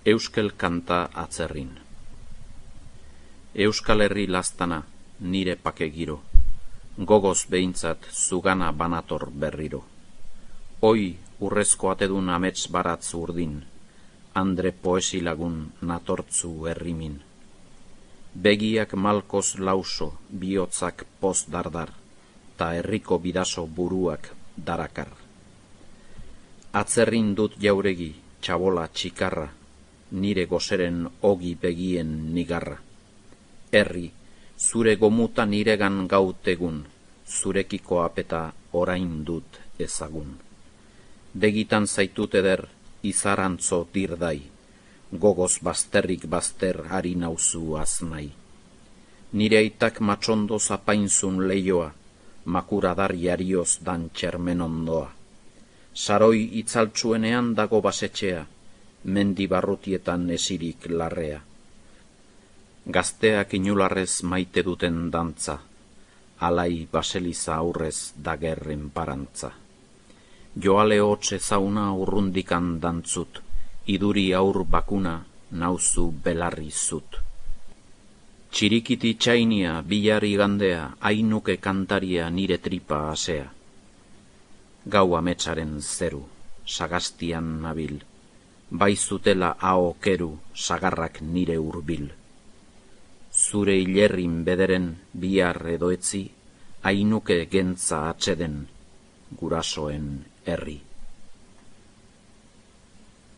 Euskel kanta atzerrin. Euskal Herri lastana, nire pake giro, gogoz behintzat zugana banator berriro. Hoi urrezko atedun amets baratz urdin, andre poesilagun natortzu herrimin. Begiak malkoz lauso, bihotzak poz dardar, ta herriko bidaso buruak darakar. Atzerrin dut jauregi, txabola txikarra, nire gozeren ogi begien nigarra. Herri, zure gomuta niregan gautegun, zurekiko apeta orain dut ezagun. Begitan zaitut eder, izarantzo dirdai, gogoz bazterrik bazter ari nauzu aznai. Nire aitak matxondo zapainzun leioa, makuradar jarioz dan txermen ondoa. Saroi itzaltsuenean dago basetxea, mendi barrutietan esirik larrea. Gazteak inularrez maite duten dantza, alai baseliza aurrez dagerren parantza. Joale hotxe zauna urrundikan dantzut, iduri aur bakuna nauzu belarri zut. Txirikiti txainia bilari gandea, ainuke kantaria nire tripa asea. Gau ametsaren zeru, sagastian nabil, bai zutela aho keru, sagarrak nire hurbil. Zure hilerrin bederen bihar edo etzi, ainuke gentza atxeden, gurasoen herri.